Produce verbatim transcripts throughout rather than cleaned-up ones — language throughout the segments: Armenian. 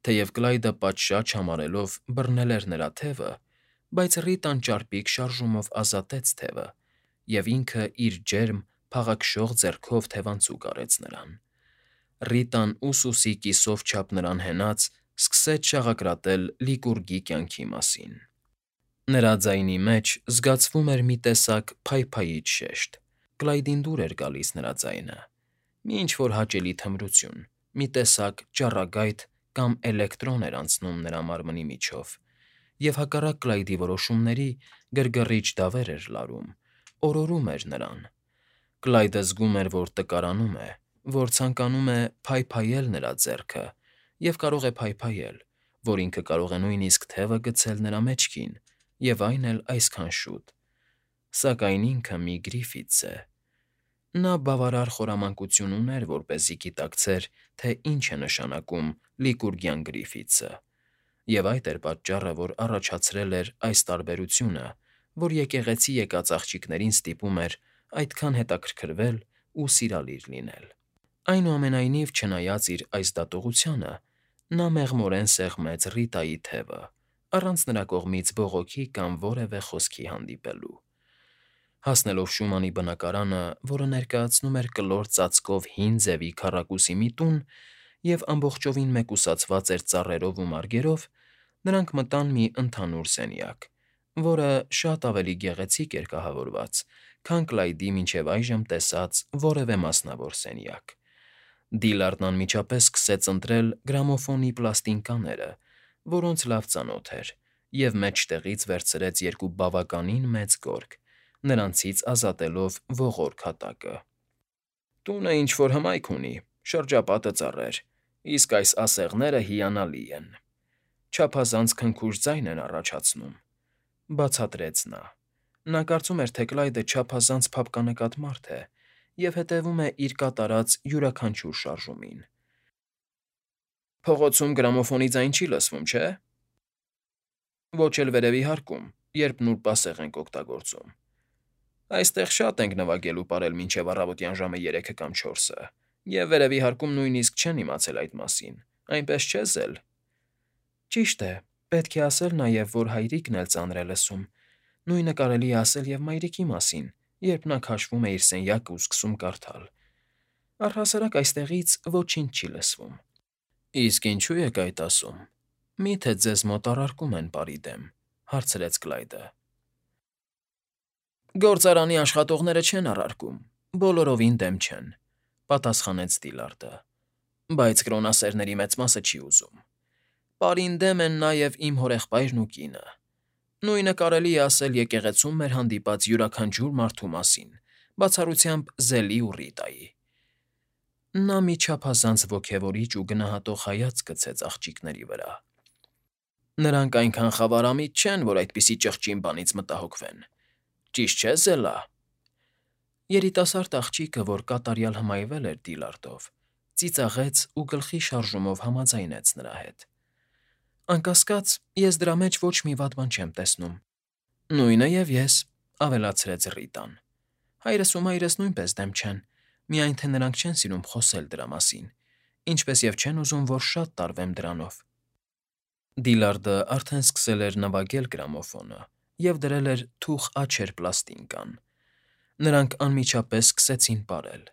Թեև Կլայդը պատշաճ համարելով բռնել էր նրա թևը, բայց Ռիտան ճարպիկ շարժումով ազատեց թևը և ինքը իր ջերմ, փաղաքշող ձեռքով թևանցուկ արեց նրան։ Ռիտան, ուսուսի կիսով չափ նրան հենած, սկսեց շաղակրատել Լիկուրգի կյանքի մասին։ Նրա ձայնի մեջ զգացվում էր մի տեսակ փայփայիչ շեշտ. Կլայդին դուր էր գալիս նրա ձայնը, մի ինչ֊որ հաճելի թմրություն, մի տեսակ ճառագայթ կամ էլեկտրոն էր անցնում նրա մարմնի միջով, և հակառակ Կլայդի որոշումների գրգռիչ դավեր էր լարում, օրորում էր նրան։ Կլայդը զգում էր, որ տկարանում է, որ ցանկանում է փայփայել նրա ձեռքը և կարող է փայփայել, որ ինքը կարող է նույնիսկ թևը գցել նրա մեջքին, և այն էլ այսքան շուտ։ Սակայն ինքը մի Գրիֆիթս է։ Նա բավարար խորամանկություն ուներ, որպեսզի գիտակցեր, թե ինչ է նշանակում Լիկուրգյան Գրիֆիթսը, և այդ էր պատճառը, որ առաջացրել էր այս տարբերությունը, որ եկեղեցի եկած աղջիկներին ստիպում էր այդքան հետաքրքրվել ու սիրալիր լինել։ Այնուամենայնիվ, չնայած իր այս դատողությանը, նա մեղմորեն սեղմեց Ռիտայի թևը, առանց նրա կողմից բողոքի կամ որևէ խոսքի հանդիպելու։ Հասնելով Շումանի բնակարանը, որը ներկայացնում էր կլոր ծածկով հին ձևի քառակուսի մի տուն և ամբողջովին մեկուսացված էր ծառերով ու մարգերով, նրանք մտան մի ընդհանուր սենյակ, որը շատ ավելի գեղեցիկ էր կահավորված, քան Կլայդի մինչև այժմ տեսած որևէ մասնավոր սենյակ։ Դիլարդն անմիջապես սկսեց ընտրել գրամոֆոնի պլաստինկաները, որոնց լավ ծանոթ էր, և մեջտեղից վերցրեց երկու բավականին մեծ գորգ, նրանցից ազատելով ողորկ հատակը։ «Տունը ինչ֊որ հմայք ունի, շրջապատը ծառեր, իսկ այս ասեղները հիանալի են, չափազանց քնքուշ ձայն են առաջացնում», ֊ բացատրեց նա։ Նա կարծում էր, թե Կլայդը չափազանց փափկանկատ մարդ է և հետևում է իր կատարած յուրաքանչյուր շարժումին։ «Փողոցում գրամոֆոնի ձայն չի լսվում, չէ՞»։ «Ոչ էլ վերևի հարկում, երբ նուրբասեղ ենք օգտագործում։ Այստեղ շատ ենք նվագել ու պարել մինչև առավոտյան ժամը երեքը կամ չորսը, և վերևի հարկում նույնիսկ չեն իմացել այդ մասին, այնպես չէ՞ Զել»։ «Ճիշտ է, պետք է ասել նաև, որ հայրիկն էլ ծանր է լսում, նույնը կարելի է ասել և մայրիկի մասին, երբ նա քաշվում է իր սենյակն ու սկսում կարդալ։ Առհասարակ այստեղից ոչինչ չի լսվում»։ «Իսկ ինչո՞ւ եք այդ ասում։ Մի՞թե ձեզ մոտ առարկում են պարի դեմ», ֊ հարցրեց Կլայդը։ «Գործարանի աշխատողները չեն առարկում, բոլորովին դեմ չեն», ֊ պատասխանեց Դիլարդը, «բայց կրոնասերների մեծ մասը չի ուզում։ Պարին դեմ են նաև իմ հորեղբայրն ու կինը։ Նույնը կարելի է ասել եկեղեցում մեր հանդիպած յուրաքանչյուր մարդու մասին, բացառությամբ Զելի ու Ռիտայի»։ Նա մի չափազանց ոգևորիչ ու գնահատող հայացք գցեց աղջիկների վրա։ «Նրանք այնքան խավարամիտ չեն, որ այդպիսի ճղճին բանից մտահոգվեն, ճիշտ չէ՞ Զելա»։ Երիտասարդ աղջիկը, որ կատարյալ հմայվել էր Դիլարդով, ծիծաղեց ու գլխի շարժումով համաձայնեց նրա հետ։ «Անկասկած, ես դրա մեջ ոչ մի վատ բան չեմ տեսնում»։ «Նույնը և ես», ֊ ավելացրեց Ռիտան։ «Հայրս ու մայրս նույնպես դեմ չեն, միայն թե նրանք չեն սիրում խոսել դրա մասին, ինչպես և չեն ուզում, որ շատ տարվեմ դրանով»։ Դիլարդը արդեն սկսել էր նվագել գրամոֆոնը և դրել էր թուխ աջեր պլաստինկան։ Նրանք անմիջապես սկսեցին պարել՝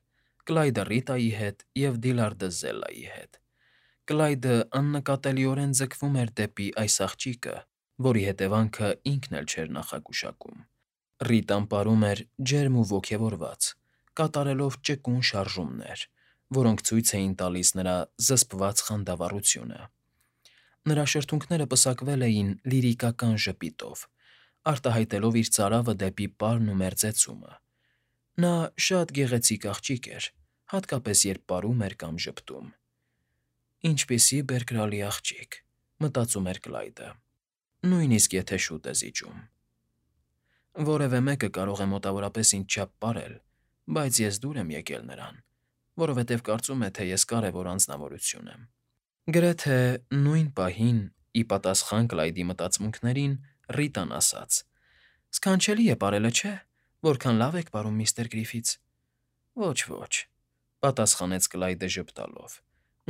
Կլայդը Ռիտայի հետ և Դիլարդը Զելայի հետ։ Կլայդը աննկատելիորեն ձգվում էր դեպի այս աղջիկը, որի հետևանքը ինքն էլ չէր նախագուշակում։ Ռիտան պարում էր ջերմ ու ոգևորված, կատարելով ճկուն շարժումներ, որոնք ցույց էին տալիս նրա զսպված խանդավառությունը։ Նրա շրթունքները պսակվել էին լիրիկական ժպիտով, արտահայտելով իր ծարավը դեպի պարն ու մերձեցումը։ Նա շատ գեղեցիկ աղջիկ էր, հատկապես երբ պարում էր կամ ժպտում։ «Ինչպիսի բերկրալի աղջիկ», ֊ մտածում էր Կլայդը, «նույնիսկ եթե շուտ է զիջում։ Որևէ մեկը կարող է մոտավորապես ինձ չափ պարել, բայց ես դուր եմ եկել նրան, որովհետև կարծում է, թե ես կարևոր անձնավորություն եմ»։ Գրեթե նույն պահին, ի պատասխան Կլայդի մտածմունքներին, Ռիտան ասաց. «Սքանչելի է պարելը, չէ՞, որքան լավ եք պարում, միստր Գրիֆիթս»։ «Ոչ, ոչ», ֊ պատասխանեց Կլայդը ժպտալով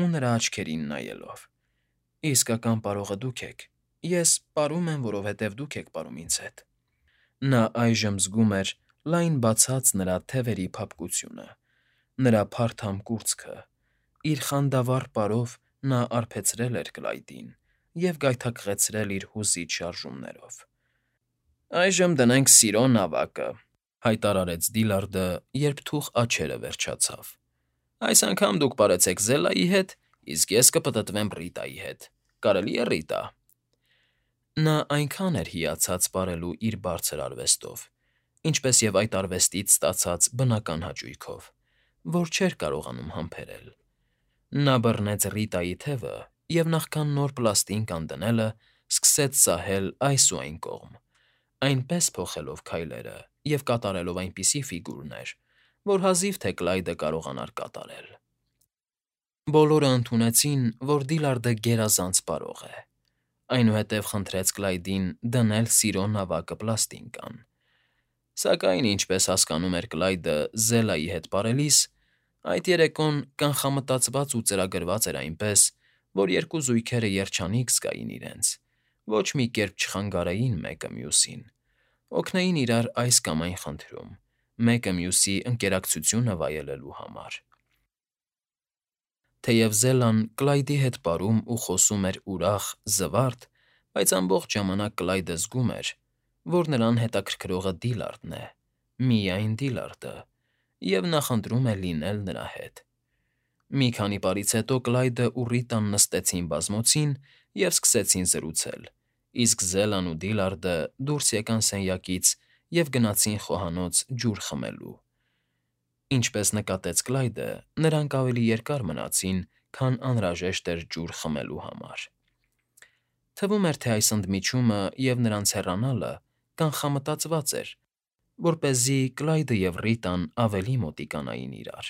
ու նրա աչքերին նայելով։ Իսկական պարողը դուք եք։ Ես պարում եմ, որովհետև դուք եք պարում ինձ հետ։ Նա այժմ զգում էր լայն բացած նրա թևերի փափկությունը, նրա փարթամ կուրծքը, իր խանդավառ պարով նա արբեցրել էր Կլայդին և գայթակղեցրել իր հուզիչ շարժումներով։ «Այժմ դնենք սիրո նավակը», հայտարարեց Դիլարդը, երբ թուխ աչքերը վերջացավ։ «Այս անգամ դուք պարեցեք Զելայի հետ, իսկ ես կպտտվեմ Ռիտայի հետ։ Կարելի է, Ռիտա»։ Նա այնքան էր հիացած պարելու իր բարձր արվեստով, ինչպես և այդ արվեստից ստացած բնական հաճույքով, որ չէր կարողանում համբերել։ Նա բռնեց Ռիտայի թևը և նախքան նոր պլաստին կանգնելը, սկսեց սահել այս ու այն կողմ, այնպես փոխելով քայլերը և կատարելով այնպիսի ֆիգուրներ, որ հազիվ թե Կլայդը կարողանար կատարել։ Բոլորը ընդունեցին, որ Դիլարդը գերազանց պարող է, այնուհետև խնդրեց Կլայդին դնել սիրո նավակը պլաստինկան։ Սակայն, ինչպես հասկանում էր Կլայդը Զելայի հետ պարելիս, այդ երեկոն կանխամտածված ու ծրագրված էր այնպես, որ երկու զույգերը երջանիկ զգային իրենց, ոչ մի կերպ չխանգարեին մեկը մյուսին, օգնեին իրար այս կամ այն խնդրում, մեկը մյուսի ընկերակցությունը վայելելու համար։ Թեև Զելան Կլայդի հետ պարում ու խոսում էր ուրախ, զվարթ, բայց ամբողջ ժամանակ Կլայդը զգում էր, որ նրան հետաքրքրողը Դիլարդն է, միայն Դիլարդը, և նախընտրում է լինել նրա հետ։ Մի քանի պարից հետո Կլայդն ու Ռիտան նստեցին բազմոցին և սկսեցին զրուցել, իսկ Զելան ու Դիլարդը դուրս եկան սենյակից և գնացին խոհանոց ջուր խմելու։ Ինչպես նկատեց Կլայդը, նրանք ավելի երկար մնացին, քան անհրաժեշտ էր ջուր խմելու համար։ Թվում էր, թե այս ընդմիջումը և նրանց հեռանալը կանխամտածված էր, որպեսզի Կլայդը և Ռիտան ավելի մոտիկանային իրար,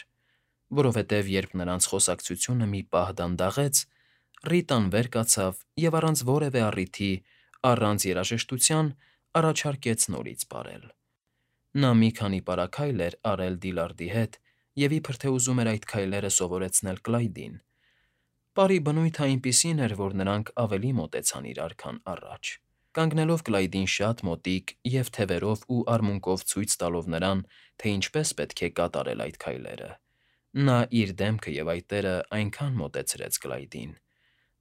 որովհետև երբ նրանց խոսակցությունը մի պահ դանդաղեց, Ռիտան վեր կացավ և առանց որևէ առիթի, առանց երաժշտության առաջարկեց նորից պարել։ Նա մի քանի պարագայլ էր արել Դիլարդի հետ և իբր թե ուզում էր այդ քայլերը սովորեցնել Կլայդին։ Պարի բնույթն այնպիսին էր, որ նրանք ավելի մոտեցան իրար, քան առաջ, կանգնելով Կլայդին շատ մոտիկ և թևերով ու արմունկով ցույց տալով նրան, թե ինչպես պետք է կատարել այդ քայլերը, նա իր դեմքը և այտերը այնքան մոտեցրեց Կլայդին,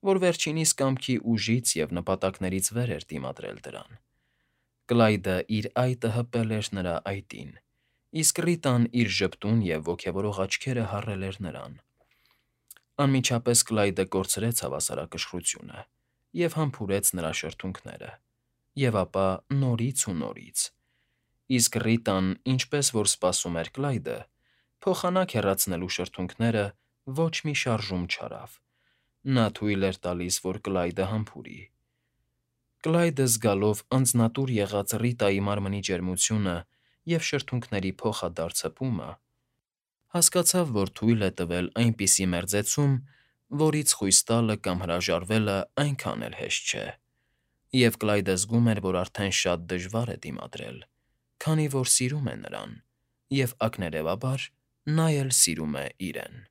որ վերջինիս կամքի ուժից և նպատակներից վեր էր դիմադրել դրան։ Կլայդը իր այտը հպել էր նրա այտին, իսկ Ռիտան իր ժպտուն և ոգևորող աչքերը հառել էր նրան։ Անմիջապես Կլայդը կորցրեց հավասարակշռությունը և համբուրեց նրա շրթունքները, և ապա նորից ու նորից, իսկ Ռիտան, ինչպես որ սպասում էր Կլայդը, փոխանակ հեռացնելու շրթունքները ոչ մի շարժում չարավ։ Նա թույլ էր տալիս, որ Կլայդը համբուրի։ Կլայդը, զգալով անձնատուր եղած Ռիտայի մարմնի ջերմությունը և շրթունքների փոխադարձ հպումը, հասկացավ, որ թույլ է տվել այնպիսի մերձեցում, որից խույս տալը կամ հրաժարվելը այնքան էլ հեշտ չէ, և Կլայդը զգում էր, որ արդեն շատ դժվար է դիմադրել, քանի որ սիրում է նրան և, ակներևաբար, նա էլ սիրում է իրեն։